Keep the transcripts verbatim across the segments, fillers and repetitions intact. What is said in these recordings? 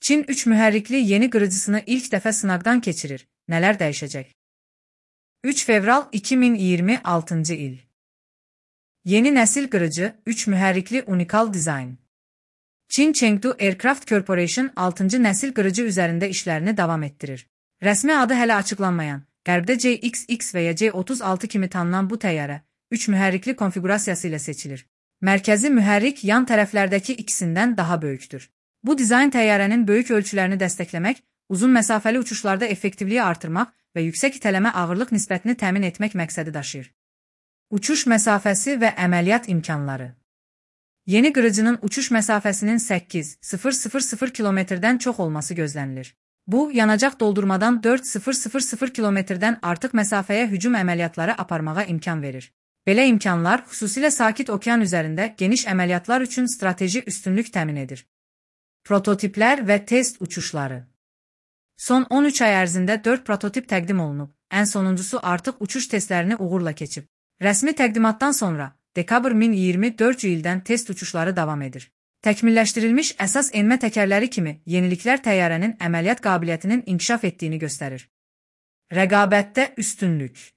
Çin üç mühərrikli yeni qırıcısını ilk dəfə sınaqdan keçirir. Nələr dəyişəcək? üç fevral iki min iyirmi altıncı il. Yeni nəsil qırıcı, üç mühərrikli unikal dizayn. Çin Chengdu Aircraft Corporation altıncı nəsil qırıcı üzərində işlərini davam etdirir. Rəsmi adı hələ açıqlanmayan, qərbdə C X X və ya C otuz altı kimi tanınan bu təyyarə, üç mühərrikli konfigurasiyası ilə seçilir. Mərkəzi mühərrik yan tərəflərdəki ikisindən daha böyükdür. Bu dizayn təyyarənin böyük ölçülərini dəstəkləmək, uzun məsafəli uçuşlarda effektivliyi artırmaq və yüksək itələmə ağırlıq nisbətini təmin etmək məqsədi daşıyır. Uçuş məsafəsi və əməliyyat imkanları. Yeni qırıcının uçuş məsafəsinin səkkiz min kilometrdən çox olması gözlənilir. Bu, yanacaq doldurmadan dörd min kilometrdən artıq məsafəyə hücum əməliyyatları aparmağa imkan verir. Belə imkanlar, xüsusilə Sakit Okean üzərində geniş əməliyyatlar üçün strateji üstünlük təmin edir. Prototiplər və test uçuşları. Son on üç ay ərzində dörd prototip təqdim olunub, ən sonuncusu artıq uçuş testlərini uğurla keçib. Rəsmi təqdimatdan sonra, dekabr iki min iyirmi dördüncü ildən test uçuşları davam edir. Təkmilləşdirilmiş əsas enmə təkərləri kimi yeniliklər təyyarənin əməliyyat qabiliyyətinin inkişaf etdiyini göstərir. Rəqabətdə üstünlük.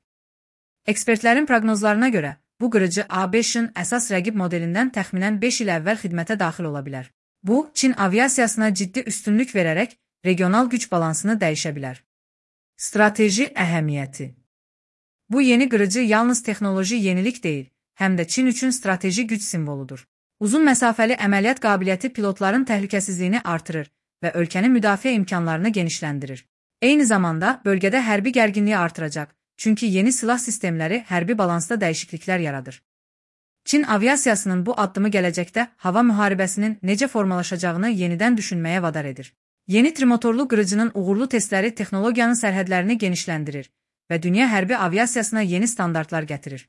Ekspertlərin proqnozlarına görə, bu qırıcı A beşin əsas rəqib modelindən təxminən beş il əvvəl xidmətə daxil ola bilər. Bu, Çin aviasiyasına ciddi üstünlük verərək regional güc balansını dəyişə bilər. Strateji əhəmiyyəti. Bu yeni qırıcı yalnız texnoloji yenilik deyil, həm də Çin üçün strateji güc simvoludur. Uzun məsafəli əməliyyat qabiliyyəti pilotların təhlükəsizliyini artırır və ölkənin müdafiə imkanlarını genişləndirir. Eyni zamanda bölgədə hərbi gərginliyi artıracaq, çünki yeni silah sistemləri hərbi balansda dəyişikliklər yaradır. Çin aviasiyasının bu addımı gələcəkdə hava müharibəsinin necə formalaşacağını yenidən düşünməyə vadar edir. Yeni trimotorlu qırıcının uğurlu testləri texnologiyanın sərhədlərini genişləndirir və dünya hərbi aviasiyasına yeni standartlar gətirir.